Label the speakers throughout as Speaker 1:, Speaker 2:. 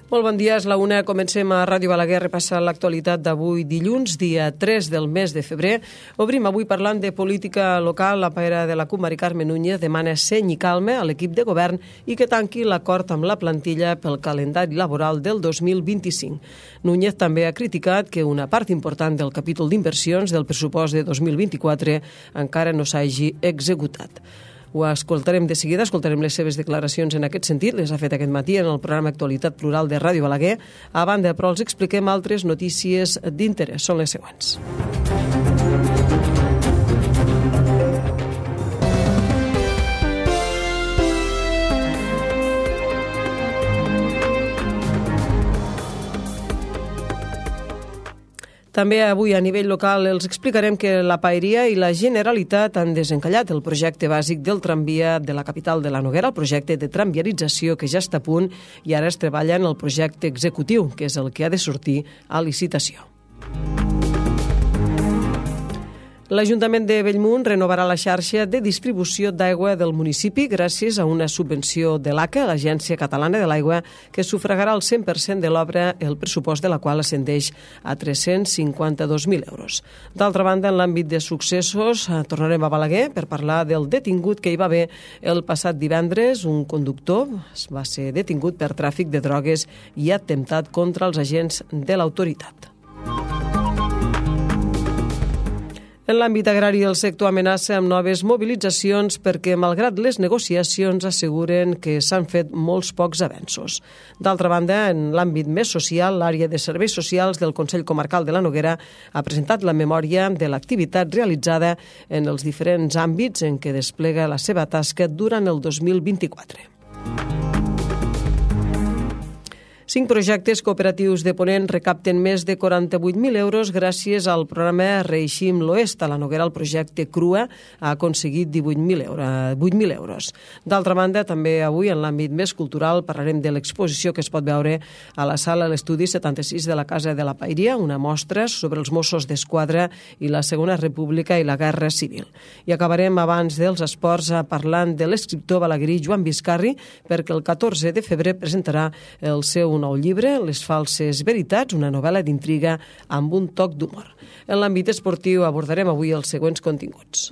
Speaker 1: Molt bon dia, és la una. Comencem a Ràdio Balaguer a repassar l'actualitat d'avui dilluns, dia 3 del mes de febrer. Obrim avui parlant de política local. La paera de la CUP, Mari Carme Núñez, demana seny i calma a l'equip de govern i que tanqui l'acord amb la plantilla pel calendari laboral del 2025. Núñez també ha criticat que una part important del capítol d'inversions del pressupost de 2024 encara no s'hagi executat. Ho escoltarem de seguida, escoltarem les seves declaracions en aquest sentit, les ha fet aquest matí en el programa Actualitat Plural de Ràdio Balaguer. A banda, però, els expliquem altres notícies d'interès. Són les següents. També avui a nivell local els explicarem que la Paeria i la Generalitat han desencallat el projecte bàsic del tramvia de la capital de la Noguera, el projecte de tramviarització que ja està a punt, i ara es treballa en el projecte executiu, que és el que ha de sortir a licitació. L'Ajuntament de Bellmunt renovarà la xarxa de distribució d'aigua del municipi gràcies a una subvenció de l'ACA, l'Agència Catalana de l'Aigua, que sufragarà el 100% de l'obra, el pressupost de la qual ascendeix a 352.000 euros. D'altra banda, en l'àmbit de successos, tornarem a Balaguer per parlar del detingut que hi va haver el passat divendres. Un conductor va ser detingut per tràfic de drogues i atemptat contra els agents de l'autoritat. En l'àmbit agrari, el sector amenaça amb noves mobilitzacions perquè, malgrat les negociacions, asseguren que s'han fet molts pocs avenços. D'altra banda, en l'àmbit més social, l'àrea de serveis socials del Consell Comarcal de la Noguera ha presentat la memòria de l'activitat realitzada en els diferents àmbits en què desplega la seva tasca durant el 2024. 5 projectes cooperatius de Ponent recapten més de 48.000 euros gràcies al programa Reeixim l'Oest. A la Noguera, el projecte Crua ha aconseguit 8.000 euros. D'altra banda, també avui, en l'àmbit més cultural, parlarem de l'exposició que es pot veure a la sala l'estudi 76 de la Casa de la Paeria, una mostra sobre els Mossos d'Esquadra i la Segona República i la Guerra Civil. I acabarem, abans dels esports, parlant de l'escriptor balaguerí Joan Biscarri, perquè el 14 de febrer presentarà el seu nou llibre, Les falses veritats, una novel·la d'intriga amb un toc d'humor. En l'àmbit esportiu abordarem avui els següents continguts.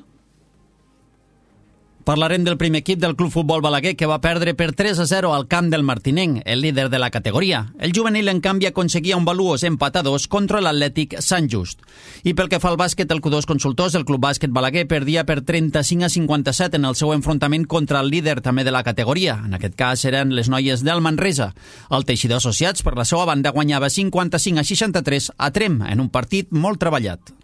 Speaker 2: Parlarem del primer equip del Club Futbol Balaguer, que va perdre per 3-0 al camp del Martinenc, el líder de la categoria. El juvenil, en canvi, aconseguia un valuós empat a 2 contra l'Atlètic Sant Just. I pel que fa al bàsquet, el Q2 Consultors, el Club Bàsquet Balaguer perdia per 35-57 en el seu enfrontament contra el líder també de la categoria. En aquest cas eren les noies del Manresa. El Teixidor Associats, per la seva banda, guanyava 55-63 a Trem, en un partit molt treballat.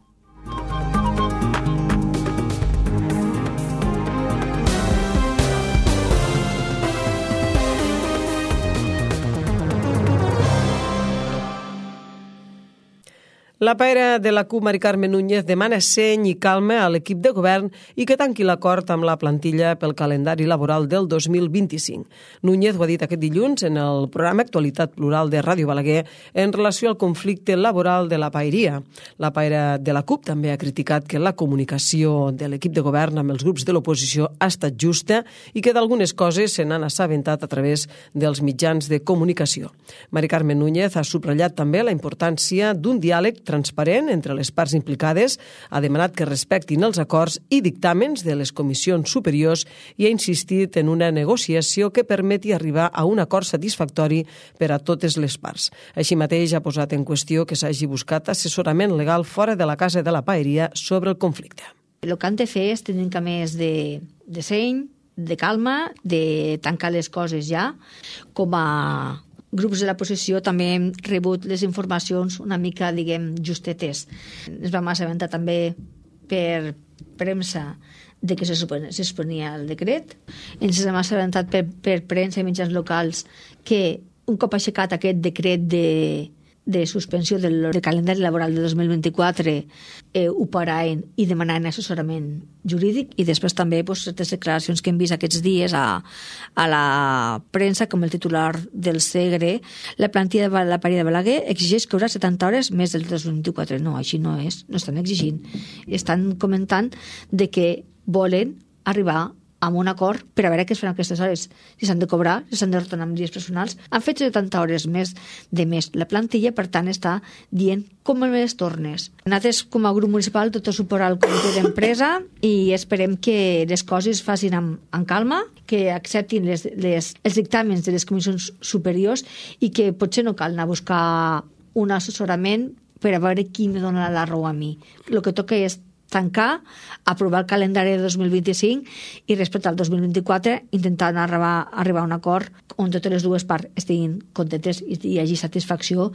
Speaker 1: La paera de la CUP, Mari Carme Núñez, demana seny i calma a l'equip de govern i que tanqui l'acord amb la plantilla pel calendari laboral del 2025. Núñez ho ha dit aquest dilluns en el programa Actualitat Plural de Ràdio Balaguer en relació al conflicte laboral de la paeria. La paera de la CUP també ha criticat que la comunicació de l'equip de govern amb els grups de l'oposició ha estat justa i que d'algunes coses se n'han assabentat a través dels mitjans de comunicació. Mari Carme Núñez ha subratllat també la importància d'un diàleg transparent entre les parts implicades, ha demanat que respectin els acords i dictàmens de les comissions superiors i ha insistit en una negociació que permeti arribar a un acord satisfactori per a totes les parts. Així mateix ha posat en qüestió que s'hagi buscat assessorament legal fora de la Casa de la Paeria sobre el conflicte.
Speaker 3: El que han de fer és tenir un més de seny, de calma, de tancar les coses ja, com a grups de la posició també hem rebut les informacions una mica, justetes. Ens vam assabentar també per premsa de que se susponia el decret. Ens hem assabentat per premsa i mitjans locals que un cop aixecat aquest decret de suspensió del calendari laboral de 2024 ho paraven i demanaven assessorament jurídic, i després també certes declaracions que hem vist aquests dies a la premsa, com el titular del Segre: la plantilla de la Paeria de Balaguer exigeix cobrar 70 hores més del 2024. No, així no és, no estan exigint. Estan comentant de que volen arribar amb un acord per a veure què es fan aquestes hores, si s'han de cobrar, si s'han de retornar amb dies personals. Han fet 70 hores més de més la plantilla, per tant està dient com les tornes. Nosaltres, com a grup municipal, tot el suport al comitè d'empresa i esperem que les coses es facin amb calma, que acceptin els dictàmens de les comissions superiors i que potser no cal anar a buscar un assessorament per a veure qui me dona la raó a mi. El que toca és tancar, aprovar el calendari de 2025 i respecte al 2024 intentar arribar a un acord on totes les dues parts estiguin contentes i hi hagi satisfacció.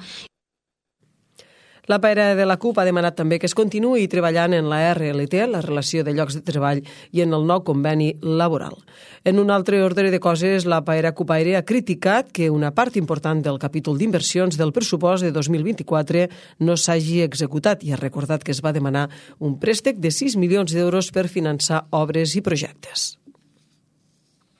Speaker 1: La paira de la CUP ha demanat també que es continuï treballant en la RLT, la relació de llocs de treball, i en el nou conveni laboral. En un altre ordre de coses, la paira CUPaire ha criticat que una part important del capítol d'inversions del pressupost de 2024 no s'hagi executat i ha recordat que es va demanar un préstec de 6 milions d'euros per finançar obres i projectes.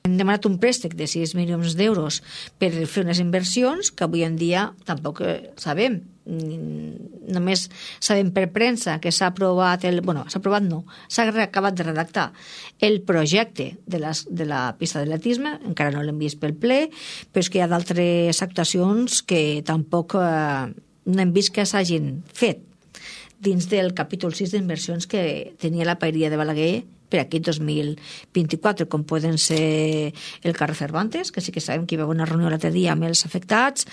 Speaker 3: Hem demanat un préstec de 6 milions d'euros per fer unes inversions que avui en dia tampoc sabem. Només sabem per premsa que s'ha aprovat s'ha acabat de redactar el projecte de la pista d'atletisme, encara no l'hem vist pel ple, però és que hi ha d'altres actuacions que tampoc no hem vist que s'hagin fet dins del capítol 6 d'inversions que tenia la paeria de Balaguer per aquest 2024, com poden ser el carrer Cervantes, que sí que sabem que hi va haver una reunió l'altre dia amb els afectats,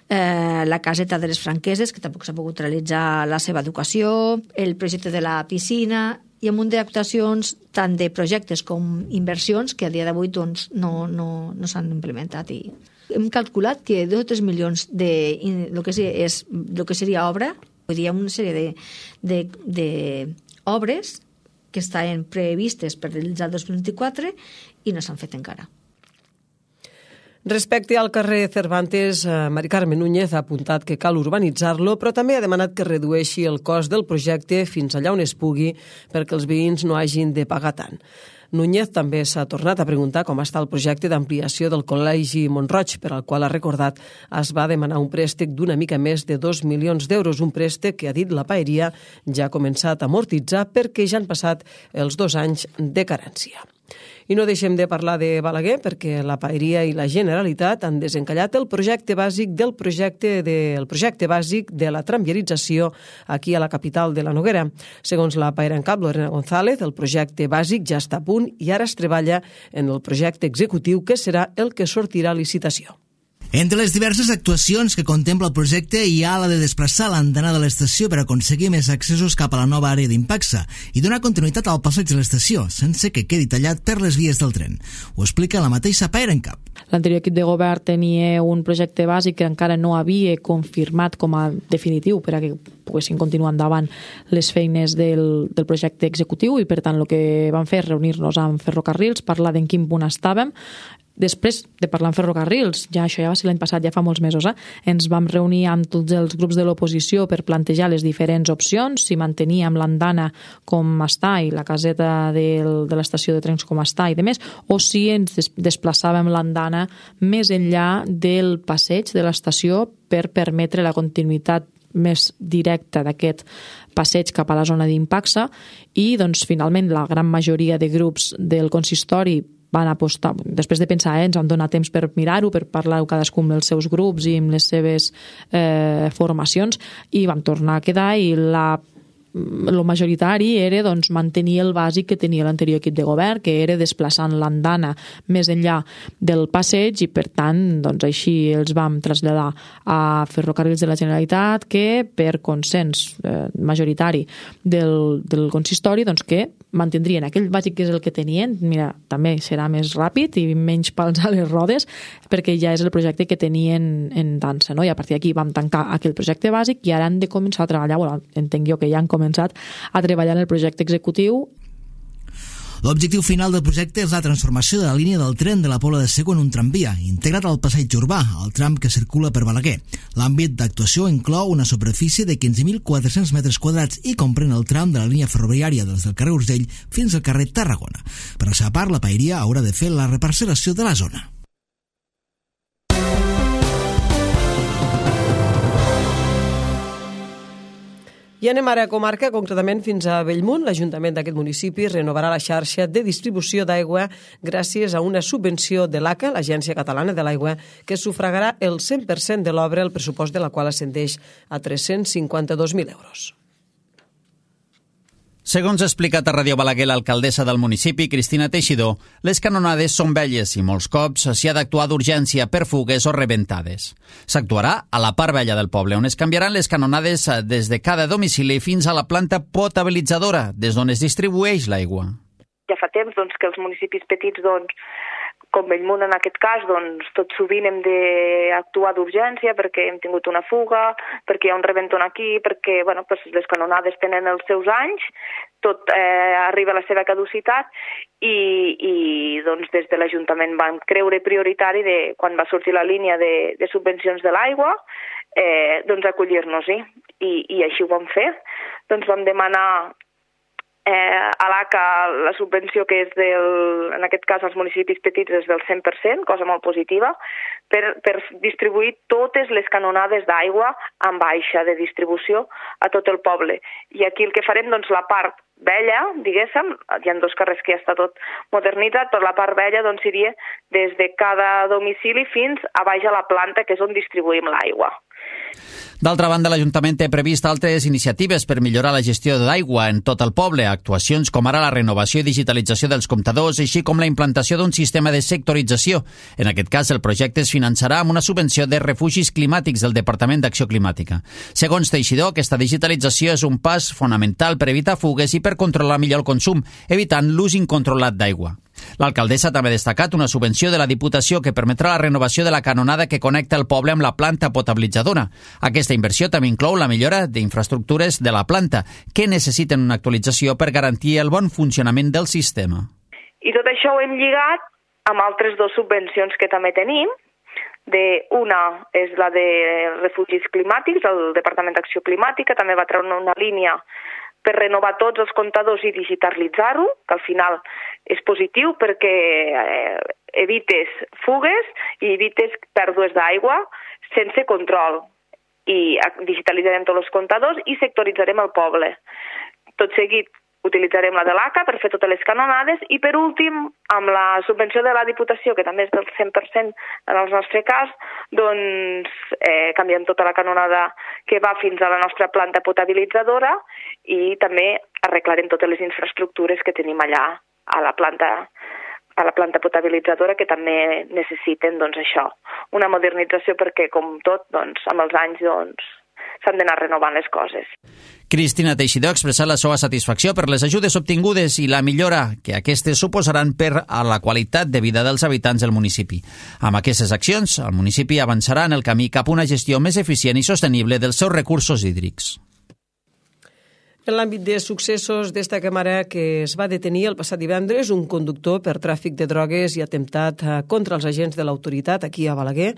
Speaker 3: la caseta de les Franqueses, que tampoc s'ha pogut realitzar la seva educació, el projecte de la piscina, i un munt d'actuacions, tant de projectes com inversions, que a dia d'avui doncs, no s'han implementat. I hem calculat que 2 o 3 milions de lo que seria obra, vull dir, una sèrie d'obres que estaven previstes per realitzar el 2024 i no s'han fet encara.
Speaker 1: Respecte al carrer Cervantes, Mari Carme Núñez ha apuntat que cal urbanitzar-lo, però també ha demanat que redueixi el cost del projecte fins allà on es pugui perquè els veïns no hagin de pagar tant. Núñez també s'ha tornat a preguntar com està el projecte d'ampliació del Col·legi Mont-roig, per al qual ha recordat es va demanar un préstec d'una mica més de 2 milions d'euros, un préstec que, ha dit la paeria, ja ha començat a amortitzar perquè ja han passat els 2 anys de carència. I no deixem de parlar de Balaguer perquè la paeria i la Generalitat han desencallat el projecte bàsic de la tramviarització aquí a la capital de la Noguera. Segons la paera en cap, Lorena González, el projecte bàsic ja està a punt i ara es treballa en el projecte executiu, que serà el que sortirà a licitació.
Speaker 4: Entre les diverses actuacions que contempla el projecte hi ha la de desplaçar l'andana de l'estació per aconseguir més accessos cap a la nova àrea d'Impacsa i donar continuïtat al passeig de l'estació sense que quedi tallat per les vies del tren. Ho explica la mateixa paera en cap.
Speaker 5: L'anterior equip de govern tenia un projecte bàsic que encara no havia confirmat com a definitiu per a que poguessin continuar endavant les feines del projecte executiu i per tant el que vam fer és reunir-nos amb Ferrocarrils, parlar d'en quin punt estàvem. Després de parlar amb Ferrocarrils, això ja va ser l'any passat, ja fa molts mesos, ens vam reunir amb tots els grups de l'oposició per plantejar les diferents opcions, si manteníem l'andana com està i la caseta de l'estació de trens com està i demés, o si ens desplaçàvem l'andana més enllà del passeig de l'estació per permetre la continuïtat més directa d'aquest passeig cap a la zona d'Impacsa i doncs, finalment la gran majoria de grups del consistori van apostar, després de pensar, ens van donar temps per mirar-ho, per parlar-ho cadascun amb els seus grups i amb les seves formacions i vam tornar a quedar i el majoritari era doncs, mantenir el bàsic que tenia l'anterior equip de govern, que era desplaçant l'andana més enllà del passeig i per tant doncs, així els vam traslladar a Ferrocarrils de la Generalitat que per consens majoritari del consistori doncs, que mantindrien aquell bàsic que és el que tenien, mira, també serà més ràpid i menys pals a les rodes perquè ja és el projecte que tenien en dansa, no? I a partir d'aquí vam tancar aquell projecte bàsic i ara han de començar a treballar, entenc jo que ja han començat a treballar en el projecte executiu.
Speaker 4: L'objectiu final del projecte és la transformació de la línia del tren de la Pobla de Segur en un tramvia, integrat al passeig urbà, el tram que circula per Balaguer. L'àmbit d'actuació inclou una superfície de 15.400 metres quadrats i comprèn el tram de la línia ferroviària des del carrer Urgell fins al carrer Tarragona. Per la seva part, la paeria haurà de fer la reparcel·lació de la zona.
Speaker 1: I anem ara a comarca, concretament fins a Bellmunt. L'Ajuntament d'aquest municipi renovarà la xarxa de distribució d'aigua gràcies a una subvenció de l'ACA, l'Agència Catalana de l'Aigua, que sufragarà el 100% de l'obra, el pressupost de la qual ascendeix a 352.000 euros.
Speaker 2: Segons ha explicat a Ràdio Balaguer l'alcaldessa del municipi, Cristina Teixidor, les canonades són velles i molts cops s'hi ha d'actuar d'urgència per fugues o rebentades. S'actuarà a la part vella del poble, on es canviaran les canonades des de cada domicili fins a la planta potabilitzadora, des d'on es distribueix l'aigua.
Speaker 6: Ja fa temps que els municipis petits, com Bellmunt en aquest cas, tot sovint hem d'actuar d'urgència perquè hem tingut una fuga, perquè hi ha un rebentón aquí, perquè les canonades tenen els seus anys, tot arriba a la seva caducitat i des de l'Ajuntament van creure prioritari, quan va sortir la línia de subvencions de l'aigua, acollir-nos-hi. I així ho vam fer. Vam demanar a l'ACA la subvenció que és en aquest cas als municipis petits és del 100%, cosa molt positiva, per distribuir totes les canonades d'aigua en baixa de distribució a tot el poble. I aquí el que farem, la part vella, diguéssim, hi ha 2 carrers que ja està tot modernitzat, però la part vella seria des de cada domicili fins a baix a la planta, que és on distribuïm l'aigua.
Speaker 2: D'altra banda, l'Ajuntament té previst altres iniciatives per millorar la gestió d'aigua en tot el poble, actuacions com ara la renovació i digitalització dels comptadors, així com la implantació d'un sistema de sectorització. En aquest cas, el projecte es finançarà amb una subvenció de refugis climàtics del Departament d'Acció Climàtica. Segons Teixidor, aquesta digitalització és un pas fonamental per evitar fugues i per controlar millor el consum, evitant l'ús incontrolat d'aigua. L'alcaldessa també ha destacat una subvenció de la Diputació que permetrà la renovació de la canonada que connecta el poble amb la planta potabilitzadora. Aquesta inversió també inclou la millora d'infraestructures de la planta, que necessiten una actualització per garantir el bon funcionament del sistema.
Speaker 6: I tot això ho hem lligat amb altres 2 subvencions que també tenim. Una és la de refugis climàtics, el Departament d'Acció Climàtica també va treure una línia per renovar tots els comptadors i digitalitzar-ho, que al final és positiu perquè evites fugues i evites pèrdues d'aigua sense control. I digitalitzarem tots els comptadors i sectoritzarem el poble. Tot seguit utilitzarem la de l'ACA per fer totes les canonades i, per últim, amb la subvenció de la Diputació, que també és del 100% en el nostre cas, canviem tota la canonada que va fins a la nostra planta potabilitzadora i també arreglarem totes les infraestructures que tenim allà a la planta potabilitzadora, que també necessiten això, una modernització perquè, com tot, amb els anys s'han d'anar renovant les coses.
Speaker 2: Cristina Teixidor ha expressat la seva satisfacció per les ajudes obtingudes i la millora que aquestes suposaran per a la qualitat de vida dels habitants del municipi. Amb aquestes accions, el municipi avançarà en el camí cap a una gestió més eficient i sostenible dels seus recursos hídrics.
Speaker 1: En l'àmbit de successos, destaquem ara que es va detenir el passat divendres un conductor per tràfic de drogues i atemptat contra els agents de l'autoritat aquí a Balaguer.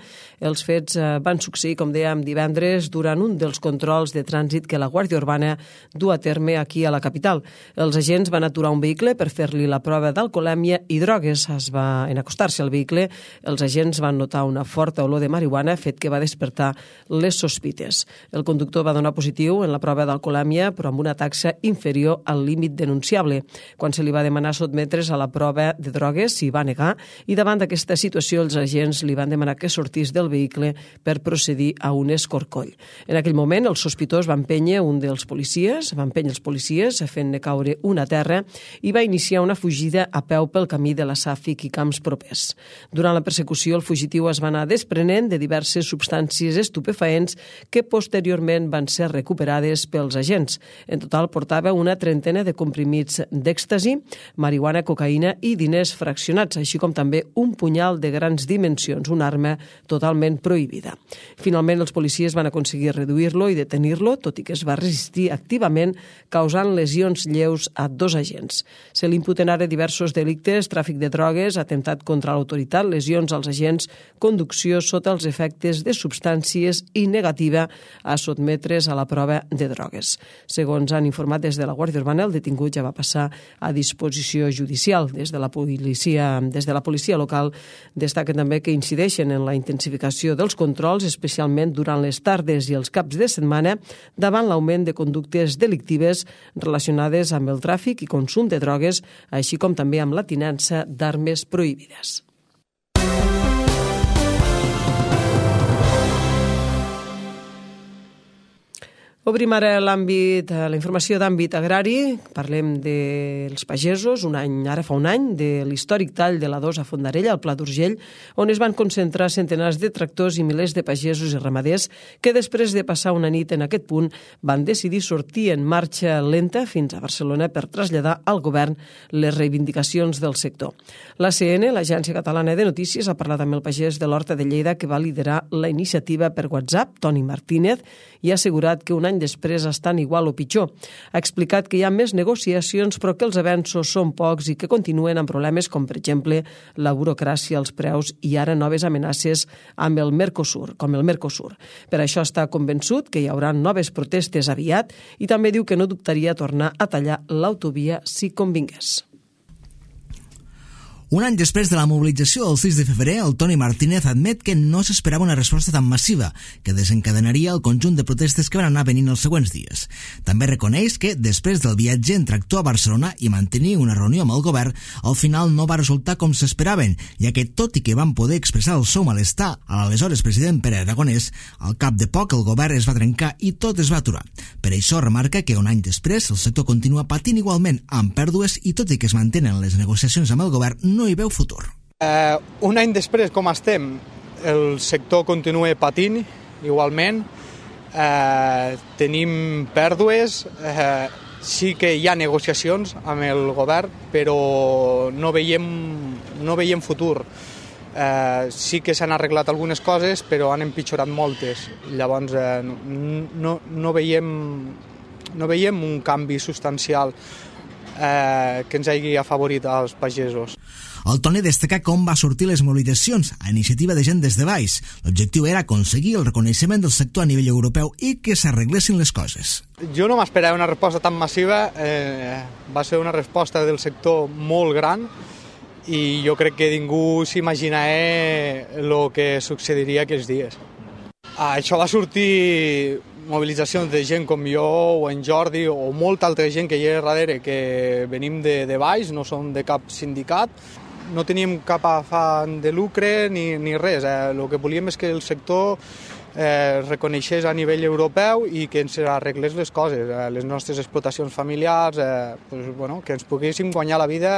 Speaker 1: Els fets van succeir, com dèiem, divendres durant un dels controls de trànsit que la Guàrdia Urbana du a terme aquí a la capital. Els agents van aturar un vehicle per fer-li la prova d'alcoholèmia i drogues. En acostar-se al vehicle, els agents van notar una forta olor de marihuana, fet que va despertar les sospites. El conductor va donar positiu en la prova d'alcoholèmia, però amb una taxa inferior al límit denunciable. Quan se li va demanar sotmetre's a la prova de drogues, s'hi va negar i davant d'aquesta situació els agents li van demanar que sortís del vehicle per procedir a un escorcoll. En aquell moment el sospitós va empènyer els policies fent-ne caure una terra i va iniciar una fugida a peu pel camí de la Sàfic i camps propers. Durant la persecució el fugitiu es va anar desprenent de diverses substàncies estupefaents que posteriorment van ser recuperades pels agents. En total portava una trentena de comprimits d'èxtasi, marihuana, cocaïna i diners fraccionats, així com també un punyal de grans dimensions, una arma totalment prohibida. Finalment, els policies van aconseguir reduir-lo i detenir-lo, tot i que es va resistir activament, causant lesions lleus a 2 agents. Se li imputen ara diversos delictes, tràfic de drogues, atemptat contra l'autoritat, lesions als agents, conducció sota els efectes de substàncies i negativa a sotmetre's a la prova de drogues. Segons han informat des de la Guàrdia Urbana, el detingut ja va passar a disposició judicial. Des de la policia local destaquen també que incideixen en la intensificació dels controls, especialment durant les tardes i els caps de setmana, davant l'augment de conductes delictives relacionades amb el tràfic i consum de drogues, així com també amb la tinença d'armes prohibides. Obrim ara la informació d'àmbit agrari. Parlem dels pagesos, ara fa un any, de l'històric tall de la 2 a Fondarella, al Pla d'Urgell, on es van concentrar centenars de tractors i milers de pagesos i ramaders que després de passar una nit en aquest punt van decidir sortir en marxa lenta fins a Barcelona per traslladar al govern les reivindicacions del sector. L'ACN, l'Agència Catalana de Notícies, ha parlat amb el pagès de l'Horta de Lleida que va liderar la iniciativa per WhatsApp, Toni Martínez, i ha assegurat que un any després estan igual o pitjor. Ha explicat que hi ha més negociacions però que els avenços són pocs i que continuen amb problemes com, per exemple, la burocràcia, els preus i ara noves amenaces amb el Mercosur. Per això està convençut que hi haurà noves protestes aviat i també diu que no dubtaria tornar a tallar l'autovia si convingués.
Speaker 4: Un any després de la mobilització del 6 de febrer, el Toni Martínez admet que no s'esperava una resposta tan massiva, que desencadenaria el conjunt de protestes que van anar venint els següents dies. També reconeix que, després del viatge en tractor a Barcelona i mantenir una reunió amb el govern, al final no va resultar com s'esperaven, ja que, tot i que van poder expressar el seu malestar a l'aleshores president Pere Aragonès, al cap de poc el govern es va trencar i tot es va aturar. Per això remarca que un any després el sector continua patint igualment amb pèrdues i tot i que es mantenen les negociacions amb el govern, no hi veu futur.
Speaker 7: Un any després, com estem, el sector continua patint igualment, tenim pèrdues, sí que hi ha negociacions amb el govern, però no veiem futur. Sí que s'han arreglat algunes coses, però han empitjorat moltes. Llavors no veiem un canvi substancial que ens hagi afavorit als pagesos.
Speaker 4: El Toni destaca com va sortir les mobilitzacions a iniciativa de gent des de baix. L'objectiu era aconseguir el reconeixement del sector a nivell europeu i que s'arreglessin les coses.
Speaker 7: Jo no m'esperava una resposta tan massiva, va ser una resposta del sector molt gran i jo crec que ningú s'imaginava el que succediria aquests dies. Això va sortir mobilitzacions de gent com jo o en Jordi o molta altra gent que hi ha darrere que venim de baix, no som de cap sindicat, no teníem cap afany de lucre ni res. El que volíem és que el sector reconeixés a nivell europeu i que ens arreglés les coses, les nostres explotacions familiars, que ens poguéssim guanyar la vida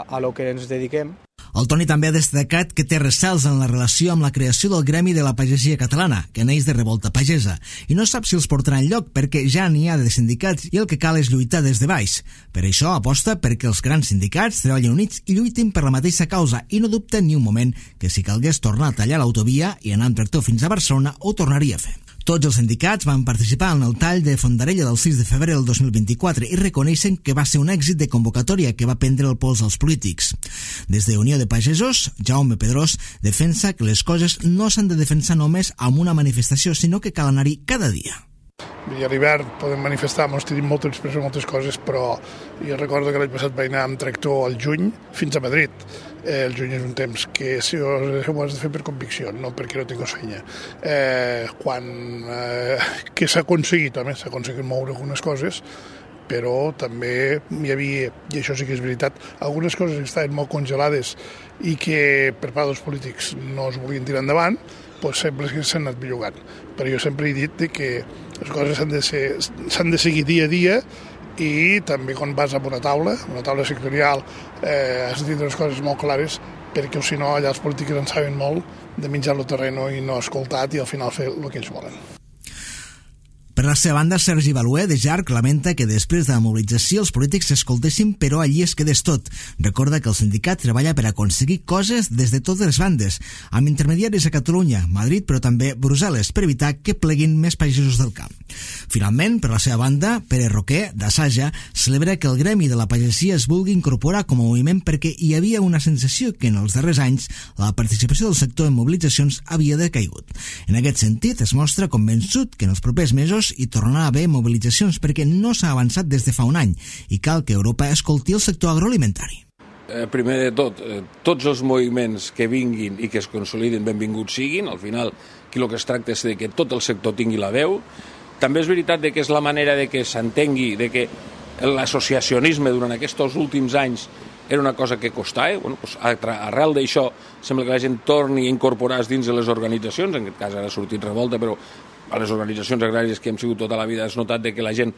Speaker 7: a lo que ens dediquem.
Speaker 4: El Toni també ha destacat que té recels en la relació amb la creació del Gremi de la Pagesia Catalana, que neix de Revolta Pagesa, i no sap si els portarà enlloc perquè ja n'hi ha de sindicats i el que cal és lluitar des de baix. Per això aposta perquè els grans sindicats treballin units i lluitin per la mateixa causa i no dubta ni un moment que si calgués tornar a tallar l'autovia i anar amb tractor fins a Barcelona ho tornaria a fer. Tots els sindicats van participar en el tall de Fondarella del 6 de febrer del 2024 i reconeixen que va ser un èxit de convocatòria que va prendre el pols als polítics. Des de Unió de Pagesos, Jaume Pedrós defensa que les coses no s'han de defensar només amb una manifestació, sinó que cal anar-hi cada dia.
Speaker 8: I a l'hivern podem manifestar, ens tenim moltes coses, però jo recordo que l'any passat vaig anar amb tractor al juny fins a Madrid. El juny és un temps que si ho has de fer per convicció, no perquè no tinguis feina. Que s'ha aconseguit moure algunes coses, però també hi havia, i això sí que és veritat, algunes coses que estaven molt congelades i que per part dels polítics no es volien tirar endavant, doncs sempre s'han anat bellugant. Però jo sempre he dit que les coses s'han de seguir dia a dia i també quan vas a una taula sectorial, has de tindre les coses molt clares perquè si no allà els polítics en saben molt de menjar el terreno i no escoltat i al final fer el que ells volen.
Speaker 4: Per la seva banda, Sergi Balué, de JARC, lamenta que després de la mobilització els polítics s'escoltessin però allí es quedés tot. Recorda que el sindicat treballa per aconseguir coses des de totes les bandes, amb intermediaris a Catalunya, Madrid, però també Brussel·les, per evitar que pleguin més pagesos del camp. Finalment, per la seva banda, Pere Roquer, d'Assaja, celebra que el gremi de la pagesia es vulgui incorporar com a moviment perquè hi havia una sensació que en els darrers anys la participació del sector en mobilitzacions havia decaigut. En aquest sentit, es mostra convençut que en els propers mesos sectors hi tornarà a haver mobilitzacions perquè no s'ha avançat des de fa un any i cal que Europa escolti el sector agroalimentari.
Speaker 9: Primer de tot, tots els moviments que vinguin i que es consolidin benvinguts siguin. Al final, aquí el que es tracta és de que tot el sector tingui la veu. També és veritat que és la manera de que s'entengui de que l'associacionisme durant aquests últims anys era una cosa que costava. Arrel d'això sembla que la gent torni a incorporar-se dins de les organitzacions. En aquest cas ara ha sortit revolta, però a les organitzacions agràries que hem sigut tota la vida has notat que la gent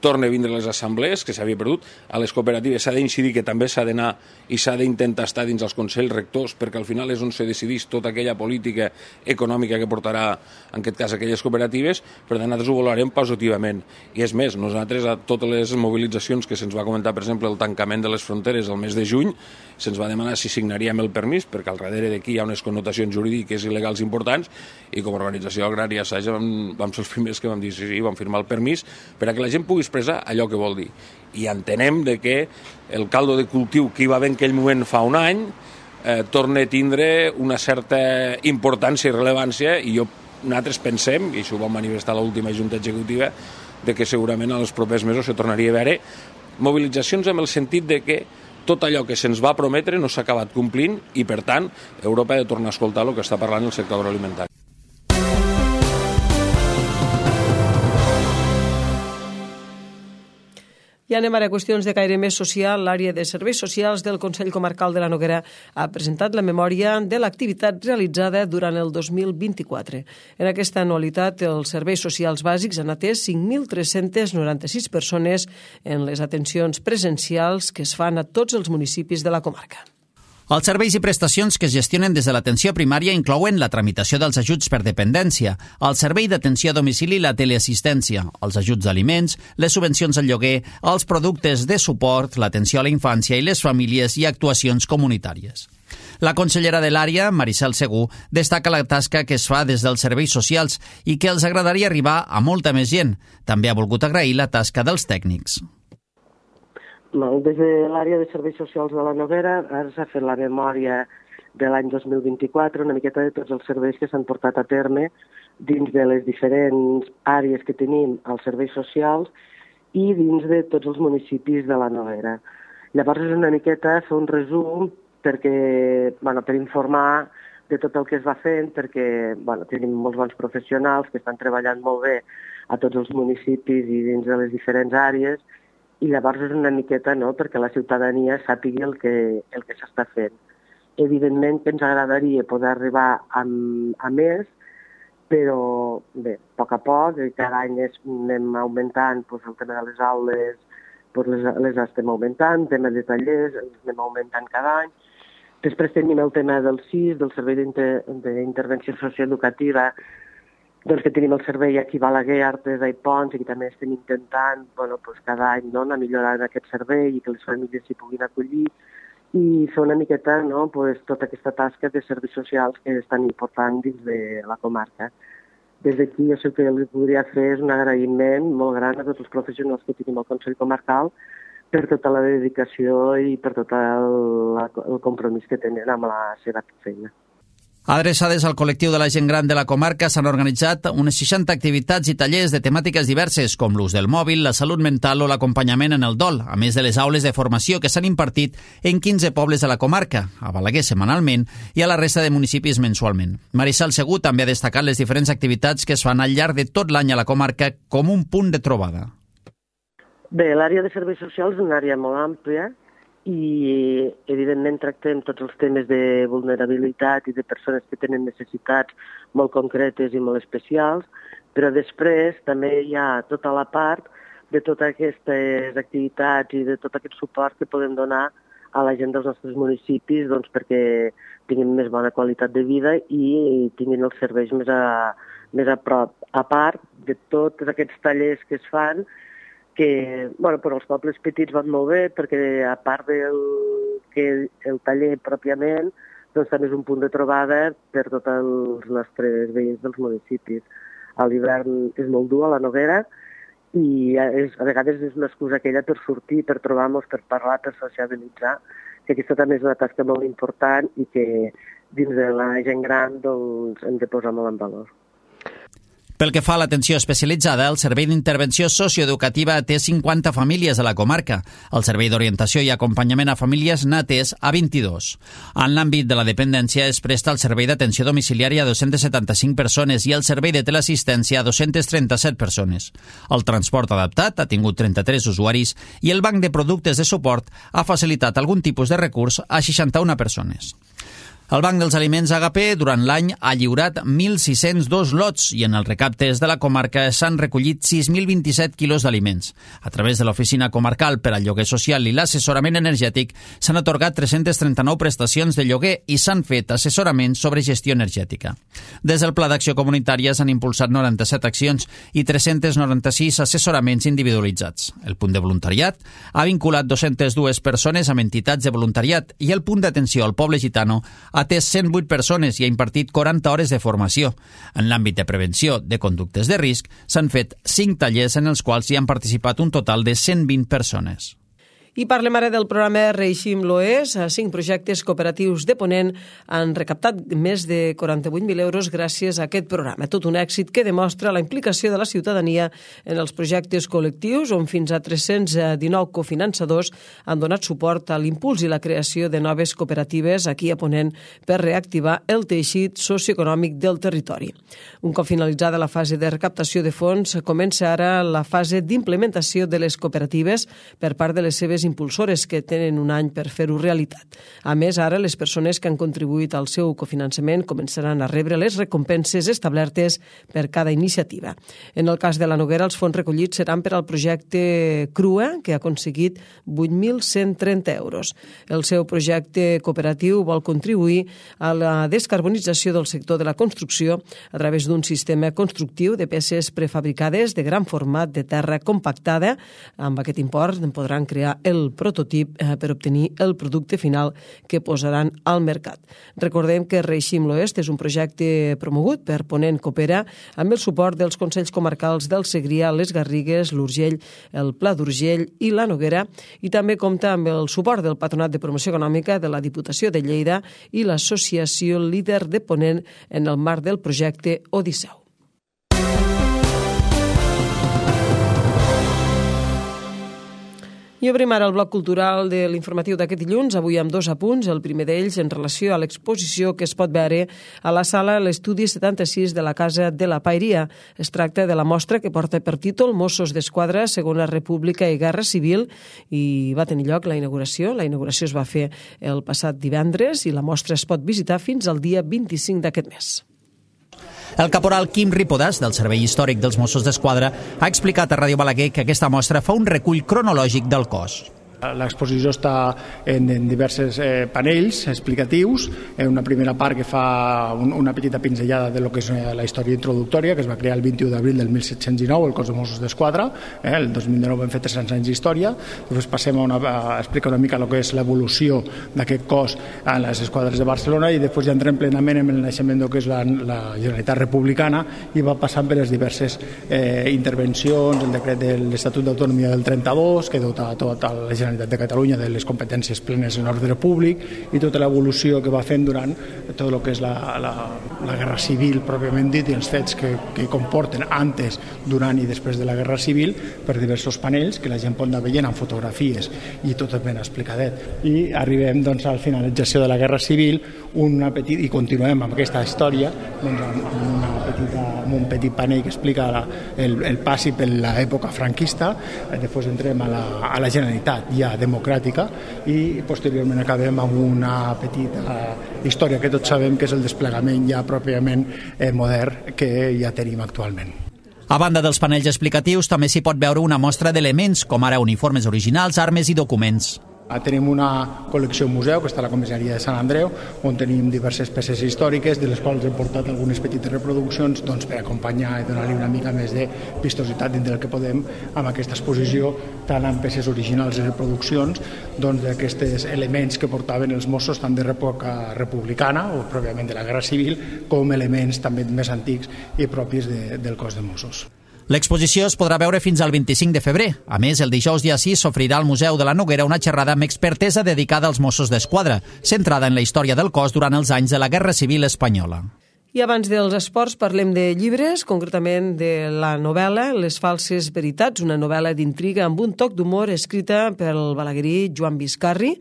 Speaker 9: torna a vindre a les assemblees, que s'havia perdut. A les cooperatives s'ha d'incidir que també s'ha d'anar i s'ha d'intentar estar dins els consells rectors, perquè al final és on se decideix tota aquella política econòmica que portarà, en aquest cas, aquelles cooperatives. Per tant, nosaltres ho valorarem positivament. I és més, nosaltres a totes les mobilitzacions que se'ns va comentar, per exemple, el tancament de les fronteres el mes de juny, se'ns va demanar si signaríem el permís, perquè al darrere d'aquí hi ha unes connotacions jurídiques i legals importants, i com a organització agrària Saja vam ser els primers que vam dir sí, vam firmar el permís per a que la gent pugui expressar allò que vol dir. I entenem que el caldo de cultiu que hi va haver en aquell moment fa un any torna a tindre una certa importància i rellevància, i nosaltres pensem, i això ho vam manifestar a l'última junta executiva, que segurament en els propers mesos se tornaria a veure mobilitzacions amb el sentit que tot allò que se'ns va prometre no s'ha acabat complint i, per tant, Europa ha de tornar a escoltar el que està parlant el sector agroalimentari.
Speaker 1: I anem ara a qüestions de caire més social. L'àrea de serveis socials del Consell Comarcal de la Noguera ha presentat la memòria de l'activitat realitzada durant el 2024. En aquesta anualitat, els serveis socials bàsics han atès 5.396 persones en les atencions presencials que es fan a tots els municipis de la comarca.
Speaker 2: Els serveis i prestacions que es gestionen des de l'atenció primària inclouen la tramitació dels ajuts per dependència, el servei d'atenció a domicili i la teleassistència, els ajuts d'aliments, les subvencions al lloguer, els productes de suport, l'atenció a la infància i les famílies i actuacions comunitàries. La consellera de l'àrea, Maricel Segú, destaca la tasca que es fa des dels serveis socials i que els agradaria arribar a molta més gent. També ha volgut agrair la tasca dels tècnics.
Speaker 10: Des de l'àrea de serveis socials de la Noguera ara s'ha fet la memòria de l'any 2024, una miqueta de tots els serveis que s'han portat a terme dins de les diferents àrees que tenim als serveis socials i dins de tots els municipis de la Noguera. Llavors és una miqueta fer un resum per informar de tot el que es va fent, perquè tenim molts bons professionals que estan treballant molt bé a tots els municipis i dins de les diferents àrees, i llavors és una miqueta perquè la ciutadania sàpigui el que s'està fent. Evidentment que ens agradaria poder arribar a més, però bé, a poc, cada any anem augmentant el tema de les aules, les estem augmentant, el tema de tallers, els anem augmentant cada any. Després tenim el tema del CIS, del Servei d'Intervenció Socioeducativa, que tenim el servei aquí a Balaguer, Artesa i Pons, i que també estem intentant cada any anar millorant aquest servei i que les famílies s'hi puguin acollir i fer una miqueta tota aquesta tasca de serveis socials que és tan important dins de la comarca. Des d'aquí jo sé que li podria fer és un agraïment molt gran a tots els professionals que tenim al Consell Comarcal per tota la dedicació i per tot el compromís que tenen amb la seva feina.
Speaker 2: Adreçades al col·lectiu de la gent gran de la comarca s'han organitzat unes 60 activitats i tallers de temàtiques diverses, com l'ús del mòbil, la salut mental o l'acompanyament en el dol, a més de les aules de formació que s'han impartit en 15 pobles de la comarca, a Balaguer setmanalment i a la resta de municipis mensualment. Maricel Segú també ha destacat les diferents activitats que es fan al llarg de tot l'any a la comarca com un punt de trobada.
Speaker 10: Bé, l'àrea de serveis socials és una àrea molt àmplia i, evidentment, tractem tots els temes de vulnerabilitat i de persones que tenen necessitats molt concretes i molt especials, però després també hi ha tota la part de totes aquestes activitats i de tot aquest suport que podem donar a la gent dels nostres municipis perquè tinguin més bona qualitat de vida i tinguin els serveis més a prop. A part de tots aquests tallers que es fan, que per als pobles petits van molt bé perquè a part el taller pròpiament també és un punt de trobada per tots els nostres veïns dels municipis. A l'hivern és molt dur a la Noguera i a vegades és una excusa aquella per sortir, per trobar-nos, per parlar, per sociabilitzar, que aquesta també és una tasca molt important i que dins de la gent gran hem de posar molt en valor.
Speaker 2: Pel que fa a l'atenció especialitzada, el Servei d'Intervenció Socioeducativa té 50 famílies a la comarca. El Servei d'Orientació i Acompanyament a Famílies n'ha atès a 22. En l'àmbit de la dependència es presta el Servei d'Atenció Domiciliària a 275 persones i el Servei de Teleassistència a 237 persones. El transport adaptat ha tingut 33 usuaris i el Banc de Productes de Suport ha facilitat algun tipus de recurs a 61 persones. El Banc dels Aliments Agapé durant l'any ha lliurat 1.602 lots i en els recaptes de la comarca s'han recollit 6.027 quilos d'aliments. A través de l'Oficina Comarcal per al Lloguer Social i l'Assessorament Energètic s'han atorgat 339 prestacions de lloguer i s'han fet assessoraments sobre gestió energètica. Des del Pla d'Acció Comunitària s'han impulsat 97 accions i 396 assessoraments individualitzats. El punt de voluntariat ha vinculat 202 persones amb entitats de voluntariat i el punt d'atenció al poble gitano ha atès 108 persones i ha impartit 40 hores de formació. En l'àmbit de prevenció de conductes de risc s'han fet 5 tallers en els quals hi han participat un total de 120 persones.
Speaker 1: I parlem ara del programa Reeixim l'Oest. 5 projectes cooperatius de Ponent han recaptat més de 48.000 euros gràcies a aquest programa. Tot un èxit que demostra la implicació de la ciutadania en els projectes col·lectius, on fins a 319 cofinançadors han donat suport a l'impuls i la creació de noves cooperatives aquí a Ponent per reactivar el teixit socioeconòmic del territori. Un cop finalitzada la fase de recaptació de fons, comença ara la fase d'implementació de les cooperatives per part de les seves impulsores, que tenen un any per fer-ho realitat. A més, ara les persones que han contribuït al seu cofinançament començaran a rebre les recompenses establertes per cada iniciativa. En el cas de la Noguera, els fons recollits seran per al projecte Crua, que ha aconseguit 8.130 euros. El seu projecte cooperatiu vol contribuir a la descarbonització del sector de la construcció a través d'un sistema constructiu de peces prefabricades de gran format de terra compactada. Amb aquest import podran crear el prototip per obtenir el producte final que posaran al mercat. Recordem que Reeixim l'Oest és un projecte promogut per Ponent Coopera amb el suport dels Consells Comarcals del Segrià, les Garrigues, l'Urgell, el Pla d'Urgell i la Noguera, i també compta amb el suport del Patronat de Promoció Econòmica de la Diputació de Lleida i l'Associació Líder de Ponent en el marc del projecte Odisseu. I obrim ara el bloc cultural de l'informatiu d'aquest dilluns, avui amb 2 apunts. El primer d'ells en relació a l'exposició que es pot veure a la sala l'Estudi 76 de la Casa de la Paeria. Es tracta de la mostra que porta per títol Mossos d'Esquadra, Segona República i Guerra Civil, i va tenir lloc la inauguració. La inauguració es va fer el passat divendres i la mostra es pot visitar fins al dia 25 d'aquest mes.
Speaker 2: El caporal Quim Ripodàs, del Servei Històric dels Mossos d'Esquadra, ha explicat a Ràdio Balaguer que aquesta mostra fa un recull cronològic del cos.
Speaker 11: L'exposició està en diversos panells explicatius. Una primera part que fa una petita pinzellada de lo que és la història introductòria, que es va crear el 21 d'abril del 1719, el cos de Mossos d'Esquadra. El 2019 vam fer 300 anys d'història. Després passem a explicar una mica el que és l'evolució d'aquest cos a les esquadres de Barcelona, i després ja entrem plenament en el naixement del que és la Generalitat Republicana, i va passant per les diverses intervencions, el decret de l'Estatut d'Autonomia del 32, que dota tota la Generalitat de Catalunya de les competències plenes en ordre públic, i tota l'evolució que va fent durant tot el que és la Guerra Civil pròpiament dit, i els fets que comporten antes, durant i després de la Guerra Civil, per diversos panells que la gent pot anar veient amb fotografies i tot ben explicadet. I arribem doncs, a la finalització de la Guerra Civil i continuem amb aquesta història amb un petit panell que explica el passi per l'època franquista. Després entrem a la Generalitat ja democràtica, i posteriorment acabem amb una petita història que tots sabem que és el desplegament ja pròpiament modern que ja tenim actualment.
Speaker 2: A banda dels panells explicatius, també s'hi pot veure una mostra d'elements, com ara uniformes originals, armes i documents.
Speaker 11: Tenim una col·lecció museu que està a la comissaria de Sant Andreu, on tenim diverses peces històriques, de les quals hem portat algunes petites reproduccions per acompanyar i donar-li una mica més de vistositat dintre del que podem amb aquesta exposició, tant en peces originals i reproduccions d'aquests elements que portaven els Mossos tant de l'època republicana o pròpiament de la Guerra Civil, com elements també més antics i propis del cos de Mossos.
Speaker 2: L'exposició es podrà veure fins al 25 de febrer. A més, el dijous dia 6 s'ofrirà al Museu de la Noguera una xerrada amb expertesa dedicada als Mossos d'Esquadra, centrada en la història del cos durant els anys de la Guerra Civil espanyola.
Speaker 1: I abans dels esports parlem de llibres, concretament de la novel·la Les falses veritats, una novel·la d'intriga amb un toc d'humor escrita pel balaguerí Joan Biscarri.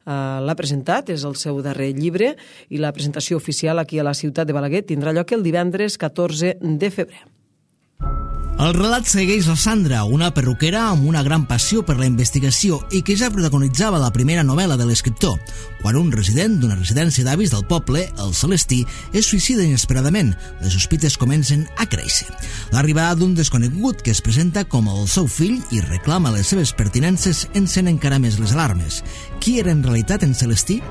Speaker 1: L'ha presentat, és el seu darrer llibre, i la presentació oficial aquí a la ciutat de Balaguer tindrà lloc el divendres 14 de febrer.
Speaker 4: El relat segueix la Sandra, una perruquera amb una gran passió per la investigació i que ja protagonitzava la primera novel·la de l'escriptor, quan un resident d'una residència d'avis del poble, el Celestí, es suïcida inesperadament. Les sospites comencen a créixer. L'arribada d'un desconegut que es presenta com el seu fill i reclama les seves pertinences encén encara més les alarmes. Qui era en realitat en Celestí?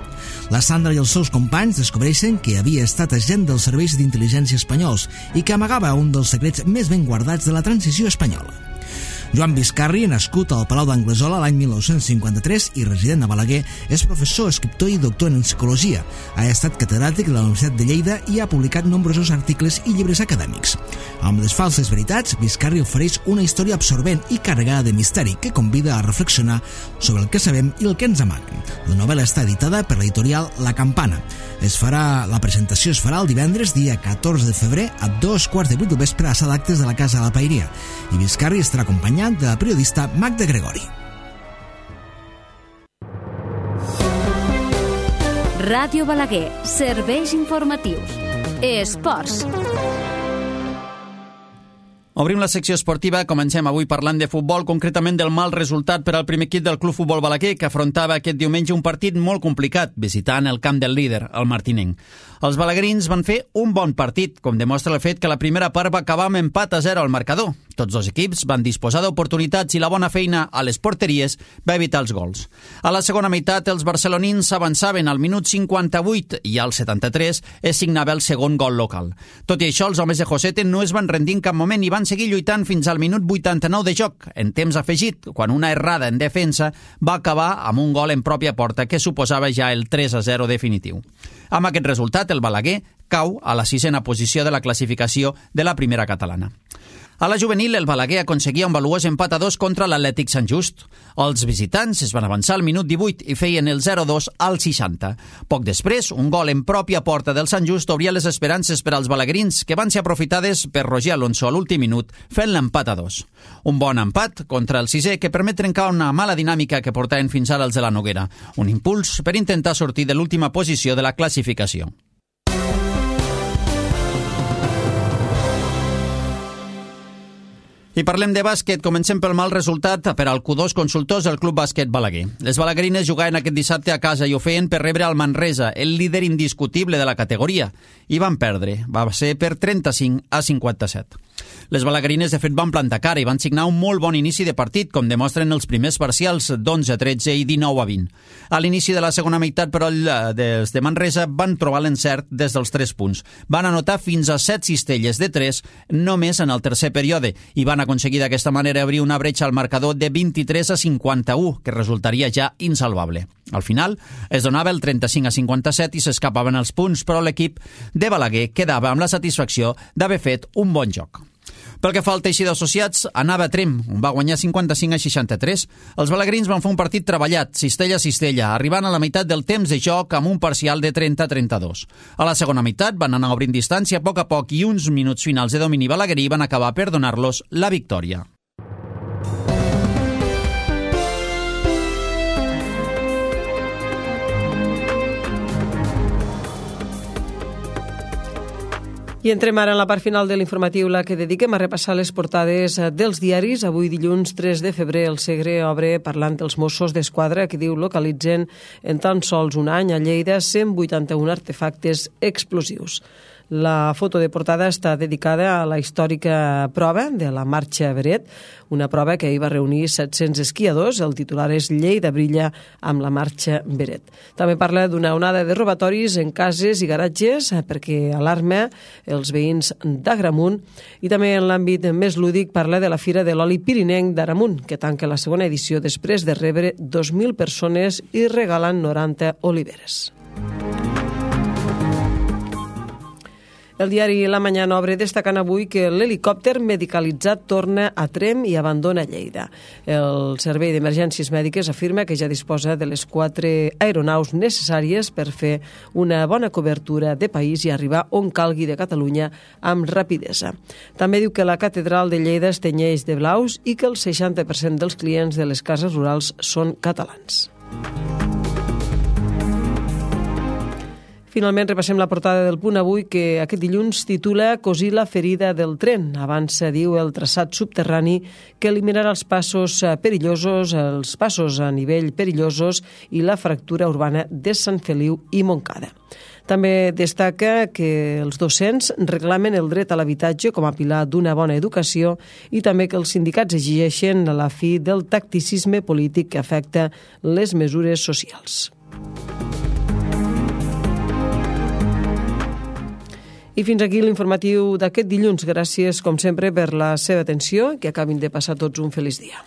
Speaker 4: La Sandra i els seus companys descobreixen que havia estat agent dels serveis d'intel·ligència espanyols i que amagava un dels secrets més ben guardats de la transició espanyola. Joan Biscarri, nascut al Palau d'Anglesola l'any 1953 i resident a Balaguer, és professor, escriptor i doctor en psicologia. Ha estat catedràtic de la Universitat de Lleida i ha publicat nombrosos articles i llibres acadèmics. Amb Les falses veritats, Biscarri ofereix una història absorbent i carregada de misteri que convida a reflexionar sobre el que sabem i el que ens amaguen. La novel·la està editada per l'editorial La Campana. La presentació es farà el divendres, dia 14 de febrer, a 7:15 del vespre a la sala d'actes de la Casa de la Paeria. I Biscarri estarà acompanyat de la periodista Magda Gregori.
Speaker 12: Ràdio Balaguer, serveis informatius. Esports.
Speaker 2: Obrim la secció esportiva. Comencem avui parlant de futbol, concretament del mal resultat per al primer equip del Club Futbol Balaguer, que afrontava aquest diumenge un partit molt complicat, visitant el camp del líder, el martinenc. Els balaguerins van fer un bon partit, com demostra el fet que la primera part va acabar amb empat a 0 al marcador. Tots dos equips van disposar d'oportunitats i la bona feina a les porteries va evitar els gols. A la segona meitat, els barcelonins s'avançaven al minut 58 i al 73 es signava el segon gol local. Tot i això, els homes de Josete no es van rendir en cap moment i van seguir lluitant fins al minut 89 de joc, en temps afegit, quan una errada en defensa va acabar amb un gol en pròpia porta que suposava ja el 3-0 definitiu. Amb aquest resultat, el Balaguer cau a la 6a posició de la classificació de la primera catalana. A la juvenil, el Balaguer aconseguia un valuós empat a 2 contra l'Atlètic Sant Just. Els visitants es van avançar al minut 18 i feien el 0-2 al 60. Poc després, un gol en pròpia porta del Sant Just obria les esperances per als balaguerins, que van ser aprofitades per Roger Alonso a l'últim minut, fent l'empat a 2. Un bon empat contra el 6è que permet trencar una mala dinàmica que portaven fins ara els de la Noguera. Un impuls per intentar sortir de l'última posició de la classificació. I parlem de bàsquet. Comencem pel mal resultat per al Q2 Consultors del Club Bàsquet Balaguer. Les balaguerines jugaven aquest dissabte a casa i ho feien per rebre al Manresa, el líder indiscutible de la categoria, i van perdre. Va ser per 35-57. Les balaguerines, de fet, van plantar cara i van signar un molt bon inici de partit, com demostren els primers parcials d'11-13 i 19-20. A l'inici de la segona meitat, però, els de Manresa van trobar l'encert des dels 3 punts. Van anotar fins a 7 cistelles de 3 només en el tercer període i van aconseguir d'aquesta manera obrir una bretxa al marcador de 23-51, que resultaria ja insalvable. Al final, es donava el 35-57 i s'escapaven els punts, però l'equip de Balaguer quedava amb la satisfacció d'haver fet un bon joc. Pel que fa al teixit d'associats, anava a Trem, on va guanyar 55-63. Els balaguerins van fer un partit treballat, cistella a cistella, arribant a la meitat del temps de joc amb un parcial de 30-32. A la segona meitat van anar obrint distància a poc i uns minuts finals de domini balaguerí van acabar per donar-los la victòria.
Speaker 1: I entrem ara en la part final de l'informatiu, la que dediquem a repassar les portades dels diaris. Avui, dilluns 3 de febrer, el Segre obre parlant dels Mossos d'Esquadra, que diu localitzen en tan sols un any a Lleida 181 artefactes explosius. La foto de portada està dedicada a la històrica prova de la Marxa Beret, una prova que hi va reunir 700 esquiadors. El titular és Lleida brilla amb la Marxa Beret. També parla d'una onada de robatoris en cases i garatges perquè alarma els veïns d'Agramunt, i també en l'àmbit més lúdic parla de la Fira de l'Oli Pirinenc d'Agramunt, que tanca la segona edició després de rebre 2.000 persones i regalen 90 oliveres. El diari La Mañana obre destacant avui que l'helicòpter medicalitzat torna a Tremp i abandona Lleida. El Servei d'Emergències Mèdiques afirma que ja disposa de les 4 aeronaus necessàries per fer una bona cobertura de país i arribar on calgui de Catalunya amb rapidesa. També diu que la catedral de Lleida es tenyeix de blaus i que el 60% dels clients de les cases rurals són catalans. Finalment, repassem la portada del Punt Avui, que aquest dilluns titula "Cosir la ferida del tren". Avança, diu, el traçat subterrani que eliminarà els passos perillosos, els passos a nivell perillosos i la fractura urbana de Sant Feliu i Montcada. També destaca que els docents reclamen el dret a l'habitatge com a pilar d'una bona educació i també que els sindicats exigeixen la fi del tacticisme polític que afecta les mesures socials. I fins aquí l'informatiu d'aquest dilluns. Gràcies, com sempre, per la seva atenció i que acabin de passar tots un feliç dia.